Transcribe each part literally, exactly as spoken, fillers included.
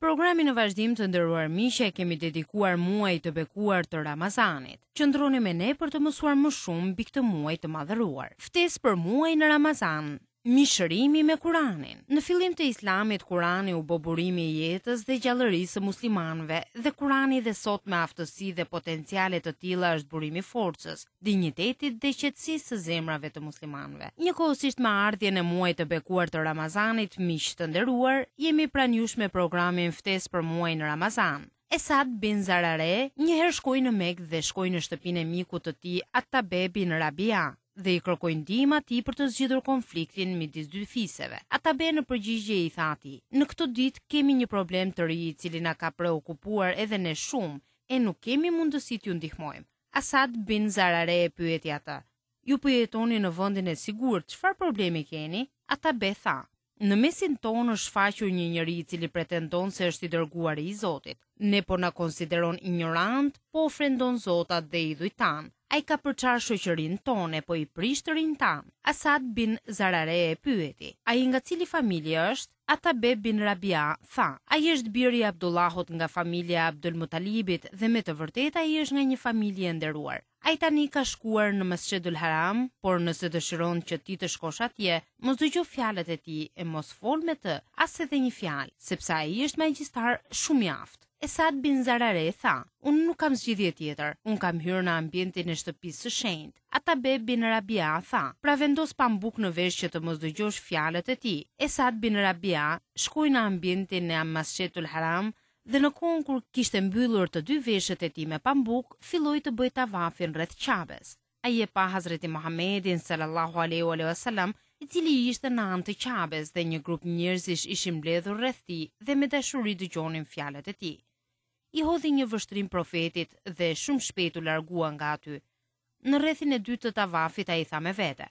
Programin në vazhdim, të nderuar miq, e kemi dedikuar muajit të bekuar të Ramazanit. Qëndroni me ne për të mësuar më shumë mbi këtë muaj të madhëruar. Ftesë për muajin Ramazan, mishërimi me Kuranin. Në fillim të Islamit, Kurani u bë burimi i jetës dhe gjallërisë së muslimanëve dhe Kurani dhe sot me aftësi dhe potenciale të tilla është burimi i forcës, dinjitetit dhe qetësisë së zemrave të muslimanëve. Njëkohësisht me ardhjen e muajit të bekuar të Ramazanit, miq të nderuar, jemi pranë jush me programin Ftesë për muajin Ramazan. Esad bin Zarare një herë shkoi në Mekë dhe shkoi në shtëpinë e mikut të tij Atabe bin Rabia dhe i kërkoi ndihmë atij për të zgjidhur konfliktin midis dy fiseve. Atabe në përgjigje i tha atij: "Në këtë ditë kemi një problem të ri i cili na ka preokupuar edhe ne shumë e nuk kemi mundësi t'ju ndihmojmë." Asad bin Zarare e pyeti atë: "Ju po jetoni në vendin e sigurt, çfarë problemi keni?" Atabe tha: "Në mesin tonë është shfaqur një njeri i cili pretendon se është i dërguari i Zotit. Ne po na konsideron ignorant, po ofendon zotat dhe idhujt tanë. Ai ka përçarë shoqërinë tonë e po i prish të rinjtë tanë." Asad bin Zarare e pyeti: "Ai nga cili familje është?" Atabe bin Rabia tha: "Ai është biri i Abdullahut nga familja e Abdul Mutalibit dhe me të vërtetë ai është nga një familje e nderuar. Ai tani ka shkuar në Masjidul Haram, por nëse dëshiron që ti të shkosh atje, mos dëgjo fjalët e tij e mos fol me të as edhe një fjalë, sepse ai është magjistar shumë i aftë." Esad bin Zarare tha: "Unë nuk kam zgjidhje tjetër, unë kam hyrë në ambientin e shtëpisë së shenjtë." Atabe bin Rabia tha: "Pra vendos pambuk në vesh që të mos dëgjosh fjalët e tij." Esad bin Rabia shkoi në ambientin e Masjidul Haram dhe në kohën kur kishte mbyllur të dy veshët e tij me pambuk, filloi të bëjë tavafin rreth Qabes. Ai e pa Hazreti Muhammedin sallallahu alaihi wa sallam, i cili ishte në anë të Qabes dhe një grup njerëzish ishin mbledhur rreth tij dhe me dashuri dëgjonin fjalët e tij. I hodhi një vështrim profetit dhe shumë shpejt u largua nga aty. Në rrethin e dytë të tavafit ai tha me vete: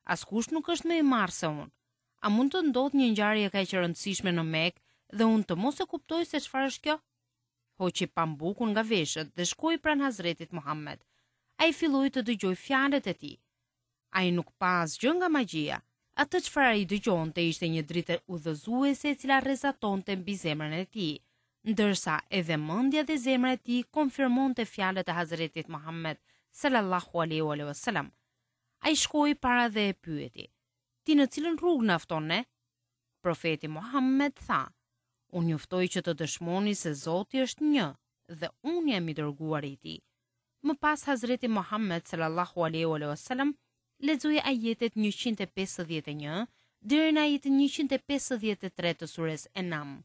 "Askush nuk është më i marrë se unë. A mund të ndodhë një ngjarje kaq e rëndësishme në Mekë dhe unë të mos e kuptoj se çfarë është kjo?" Hoqi pambukun nga veshët dhe shkoi pranë Hazretit Muhammed. Ai filloi të dëgjojë fjalët e tij. Ai nuk pa asgjë nga magjia. Atë çfarë ai dëgjonte ishte një dritë udhëzuese e cila rrezatonte mbi zemrën e tij, ndërsa edhe mendja dhe zemra e tij konfirmonte fjalët e Hazretit Muhammed sallallahu alaihi wa sallam. Ai shkoi para dhe e pyeti: "Ti në cilën rrugë na fton ne?" Profeti Muhammed tha: "Unë ju ftoj që të dëshmoni se Zoti është një dhe unë jam i dërguari i tij." Më pas Hazreti Muhammed sallallahu alaihi wa sallam lexoi ajetet njëqind e pesëdhjetë e një deri në ajetin njëqind e pesëdhjetë e tre të sures Enam.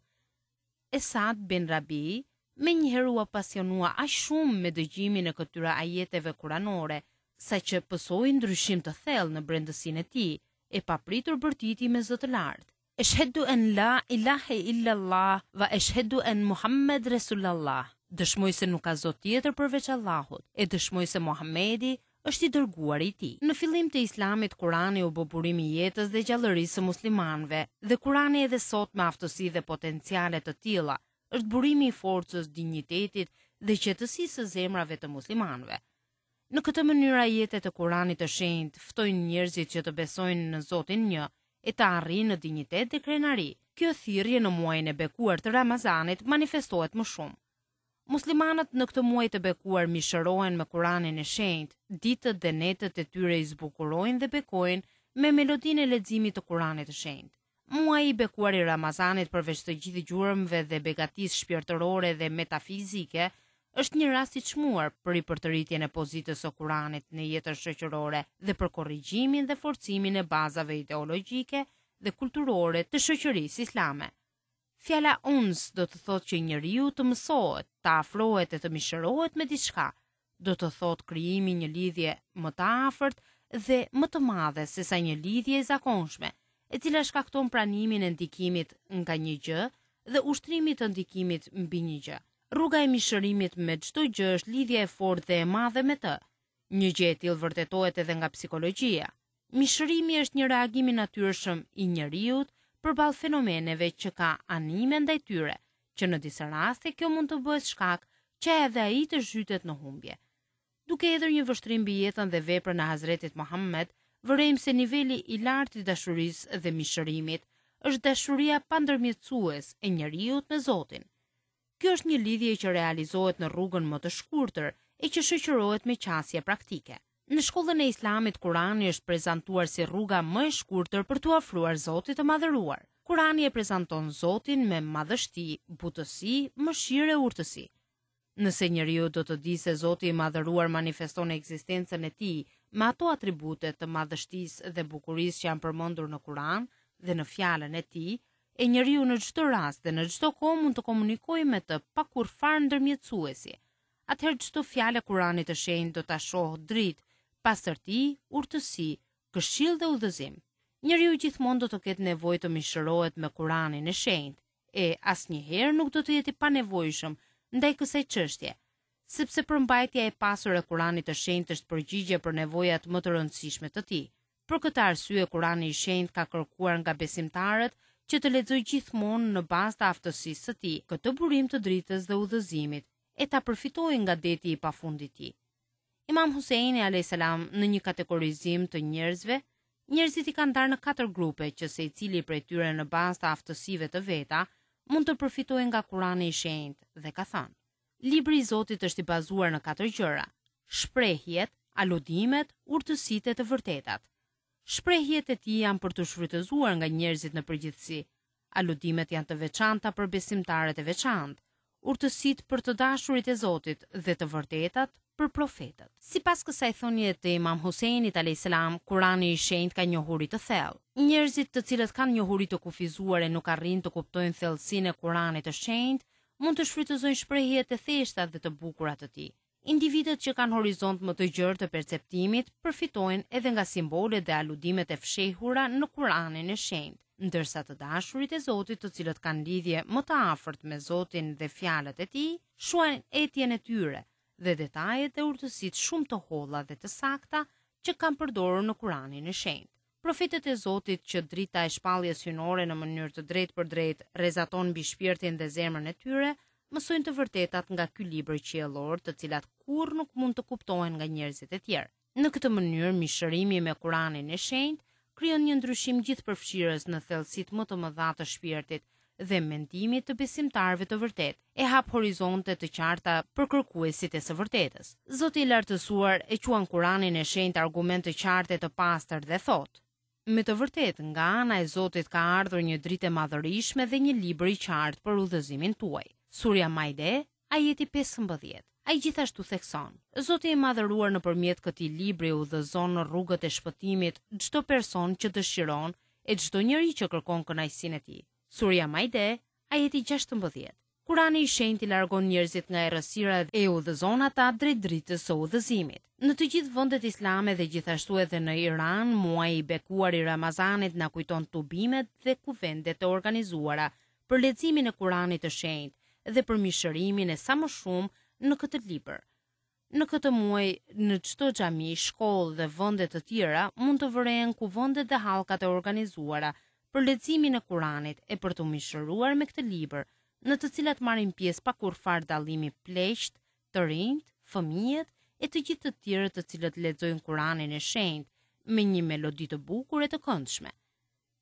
Esad bin Rabi me njëherë u apasionua aq shumë me dëgjimin e këtyre ajeteve kuranore, saqë pësoi ndryshim të thellë në brendësinë e tij, e papritur bërtiti me zë të lartë: "Eshhedu en la ilahe illallah wa eshhedu en Muhammed Resulallah." Dëshmoj se nuk ka zot tjetër përveç Allahut, e dëshmoj se Muhammedi është i dërguari i tij. Në fillim të Islamit, Kurani u bë burimi i jetës dhe gjallërisë së muslimanëve, dhe Kurani edhe sot me aftësi dhe potenciale të tilla është burimi i forcës, dinjitetit dhe qetësisë së zemrave të muslimanëve. Në këtë mënyrë ajetet e Kuranit të shenjtë ftojnë njerëzit që të besojnë në Zotin një e të arrijnë në dinjitet dhe krenari. Kjo thirrje në muajin e bekuar të Ramazanit manifestohet më shumë. Muslimanët në këtë muaj të bekuar mishërohen me Kuranin e shenjtë, ditët dhe netët e tyre i zbukurojnë dhe bekojnë me melodinë e leximit të Kuranit të shenjtë. Muaji i bekuar i Ramazanit, përveç të gjithë gjurmëve dhe begatisë shpirtërore dhe metafizike, është një rast i çmuar për ripërtëritjen e pozitës së Kuranit në jetën shoqërore dhe për korrigjimin dhe forcimin e bazave ideologjike dhe kulturore të shoqërisë islame. Fjala uns do të thotë që njeriu të mësohet, të afrohet e të mishërohet me diçka, do të thotë krijimi një lidhje më të afërt dhe më të madhe se sa një lidhje e zakonshme, e cila shkakton pranimin e ndikimit nga një gjë dhe ushtrimit të ndikimit mbi një gjë. Rruga e mishërimit me çdo gjë është lidhja e fortë dhe e madhe me të. Një gjë e tillë vërtetohet edhe nga psikologjia. Mishërimi është një reagim i natyrshëm i njeriut përballë fenomeneve që ka anime ndaj tyre, që në disa raste kjo mund të bëhet shkak që edhe ai të zhytet në humbje. Duke hedhur një vështrim mbi jetën dhe veprën e Hazretit Muhammed, vërejmë se niveli i lartë i dashurisë dhe mishërimit është dashuria pandërmjetësues e njeriut me Zotin. Kjo është një lidhje që realizohet në rrugën më të shkurtër e që shoqërohet me qasje praktike. Në shkollën e Islamit, Kurani është prezantuar si rruga më e shkurtër për t'u afruar Zotit të Madhëruar. Kurani e prezanton Zotin me madhështi, butësi, mëshirë e urtësi. Nëse njeriu do të di se Zoti i Madhëruar manifeston ekzistencën e tij me ato atribute të madhështisë dhe bukurisë që janë përmendur në Kur'an dhe në fjalën e tij, e njeriu në çdo rast dhe në çdo kohë mund të komunikojë me të pa kurrfarë ndërmjetësuesi, atëherë çdo fjalë e Kuranit të Shenjtë do ta shohë dritë, pastërti, urtësi, këshillë dhe udhëzim. Njeriu gjithmonë do të ketë nevojë të mishërohet me Kuranin e Shenjtë, e asnjëherë nuk do të jetë i panevojshëm ndaj kësaj çështje, sepse përmbajtja e pasur e Kuranit të Shenjtë është përgjigje për nevojat më të rëndësishme të tij. Për këtë arsye Kurani i Shenjtë ka kërkuar nga besimtarët që të lexojë gjithmonë në bazë të aftësisë së tij këtë burim të dritës dhe udhëzimit e ta përfitojë nga deti i pafund i tij. Imam Huseini alayhis salam në një kategorizim të njerëzve, njerëzit i kanë ndarë në katër grupe që secili prej tyre në bazë të aftësive të veta mund të përfitojë nga Kurani i Shenjtë dhe ka thënë: Libri i Zotit është i bazuar në katër gjëra: shprehjet, aludimet, urtësitë e të vërtetat. Shprehjet e tij janë për t'u shfrytëzuar nga njerëzit në përgjithësi. Aludimet janë të veçanta për besimtarët e veçantë, urtësitë për të dashurit e Zotit dhe të vërtetat për profetët. Sipas kësaj thënie të Imam Huseinit alayhis salam, Kurani i Shenjtë ka njohuri të thellë. Njerëzit të cilët kanë njohuri të kufizuar e nuk arrijnë të kuptojnë thellësinë e Kuranit të Shenjtë, mund të shfrytëzojnë shprehjet e thjeshta dhe të bukura të tij. Individët që kanë horizont më të gjerë të perceptimit përfitojnë edhe nga simbolet dhe aludimet e fshehura në Kuranin e Shenjtë, ndërsa të dashurit e Zotit, të cilët kanë lidhje më të afërt me Zotin dhe fjalët e tij, shuajnë etjen e tyre dhe detajet dhe urtësitë shumë të holla dhe të sakta që kanë përdorur në Kuranin e Shenjtë. Profetët e Zotit, që drita e shpalljes hyjnore në mënyrë të drejtë për drejtë rrezaton mbi shpirtin dhe zemrën e tyre, mësojnë të vërtetat nga ky libër qiellor, të cilat kurrë nuk mund të kuptohen nga njerëzit e tjerë. Në këtë mënyrë, mishërimi me Kuranin e Shenjtë krijon një ndryshim gjithëpërfshirës në thellësitë më të mëdha të shpirtit dhe mendimit të besimtarëve të vërtetë, e hap horizonte të qarta për kërkuesit e së vërtetës. Zoti i lartësuar e quan Kuranin e Shenjtë argument të qartë e të pastër dhe thotë: Me të vërtetë, nga ana e Zotit ka ardhur një dritë e madhërishme dhe një libër i qartë për udhëzimin tuaj. Surja Maide, ajeti pesëmbëdhjetë. Ai gjithashtu thekson: Zoti i madhëruar nëpërmjet këtij libri udhëzon në rrugët e shpëtimit çdo person që dëshiron e çdo njeri që kërkon kënaqësinë e tij. Surja Maide, ajeti gjashtëmbëdhjetë. Kurani i Shenjtë i largon njerëzit nga errësira dhe e udhëzon ata drejt dritës së udhëzimit. Në të gjithë vendet islame dhe gjithashtu edhe në Iran, muaji i bekuar i Ramazanit na kujton tubimet dhe kuvendet e organizuara për leximin e Kuranit të Shenjtë dhe për mishërimin e sa më shumë në këtë libër. Në këtë muaj, në çdo xhami, shkollë dhe vende të tjera mund të vërehen kuvendet dhe hallkat e organizuara për leximin e Kuranit e për të mishëruar me këtë libër, në të cilat marrin pjesë pa kurrfar dallimi pleqt, të rinjt, fëmijët e të gjithë të tjerët të cilët lexojnë Kuranin e Shenjtë me një melodi të bukur e të këndshme.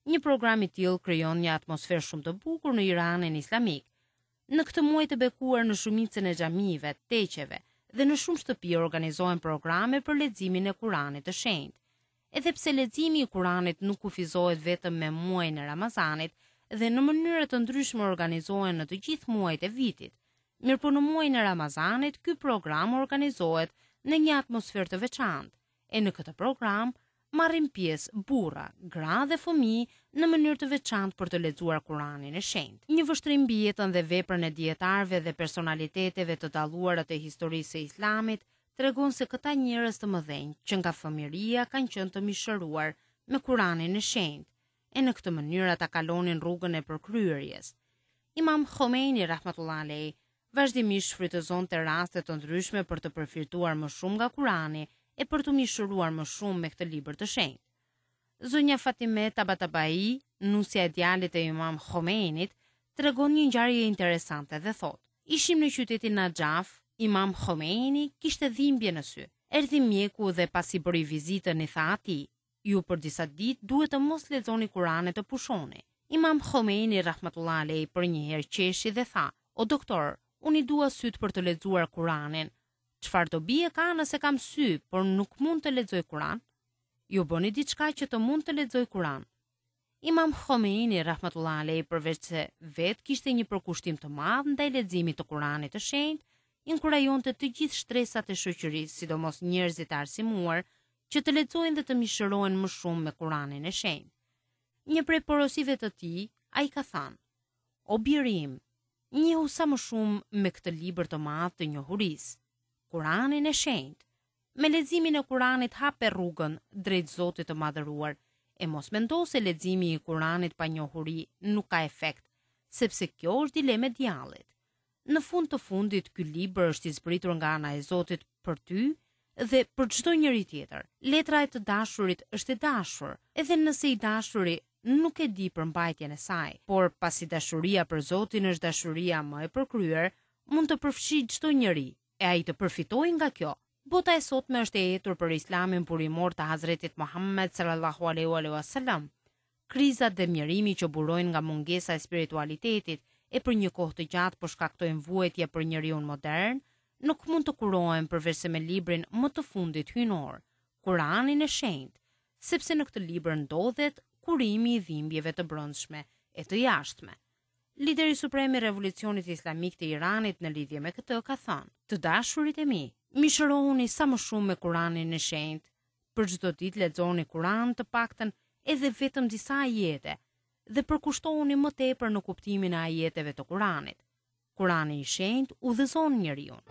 Një program i tillë krijon një atmosferë shumë të bukur në Iranin islamik. Në këtë muaj të bekuar në shumicën e xhamive, teqeve dhe në shumë shtëpi organizohen programe për leximin e Kuranit të Shenjtë. Edhe pse leximi i Kuranit nuk kufizohet vetëm me muajin e Ramazanit dhe në mënyra të ndryshme organizohen në të gjithë muajt e vitit, mirë po në muajin e Ramazanit ky program organizohet në një atmosferë të veçantë, e në këtë program marrin pjesë burra, gra dhe fëmijë në mënyrë të veçantë për të lexuar Kuranin e Shenjtë. Një vështrim mbi jetën dhe veprën e dietarëve dhe personaliteteve të dalluara të historisë së Islamit tregon se këta njerëz të mëdhenj që nga fëmijëria kanë qenë të mishëruar me Kuranin e Shenjtë, e në këtë mënyrë ata kalonin rrugën e përkryerjes. Imam Khomeini rahmatullah alayh vazhdimisht shfrytëzonte raste të ndryshme për të përfituar më shumë nga Kurani e për të mishëruar më shumë me këtë libër të shenjtë. Zonja Fatime Tabatabai, nusja e djalit të Imam Khomeinit, tregon një ngjarje interesante dhe thotë: Ishim në qytetin Najaf, Imam Khomeini kishte dhimbje në sy. Erdhi mjeku dhe pasi bëri vizitën i tha atij: Ju për disa ditë duhet të mos lexoni Kuranin e të pushoni. Imam Khomeini rahmatullah alayh për një herë qeshi dhe tha: O doktor, Unë i dua sytë për të lexuar Kuranin. Çfarë dobie ka nëse kam sy, por nuk mund të lexoj Kuran? Ju bëni diçka që të mund të lexoj Kuran. Imam Khomeini rahmatullah alejh, përveç se vetë kishte një përkushtim të madh ndaj leximit të Kuranit të shenjtë, inkurajonte të gjithë shtresat e shoqërisë, sidomos njerëzit e arsimuar, që të lexojnë dhe të mishërohen më shumë me Kuranin e shenjtë. Një prej porosive të tij, ai ka thënë: O biri im, njihu sa më shumë me këtë libër të madh të njohurisë, Kuranin e shenjtë. Me leximin e Kuranit hape rrugën drejt Zotit të madhëruar, e mos mendo se leximi i Kuranit pa njohuri nuk ka efekt, sepse kjo është dilemë e djallit. Në fund të fundit, ky libër është i zbritur nga ana e Zotit për ty dhe për çdo njeri tjetër. Letra e të dashurit është e dashur, edhe nëse i dashuri nuk e di përmbajtjen e saj, por pasi dashuria për Zotin është dashuria më e përkryer, mund të përfshijë çdo njeri, e ai të përfitojë nga kjo. Bota e sotme është e etur për Islamin burimor të Hazretit Muhammed sallallahu alaihi wasallam. Krizat dhe mjerimi që burojnë nga mungesa e spiritualitetit e për një kohë të gjatë po shkaktojnë vuajtje për njeriun modern, nuk mund të kurohen përveç se me librin më të fundit hyjnor, Kuranin e shenjtë, sepse në këtë libër ndodhet kurimi i dhimbjeve të brendshme e të jashtme. Lideri suprem i Revolucionit Islamik të Iranit në lidhje me këtë ka thënë: Të dashurit e mi, mishërohuni sa më shumë me Kuranin e shenjtë. Për çdo ditë lexoni Kuran të paktën edhe vetëm disa ajete dhe përkushtohuni më tepër në kuptimin e ajeteve të Kuranit. Kurani i shenjtë udhëzon njeriun.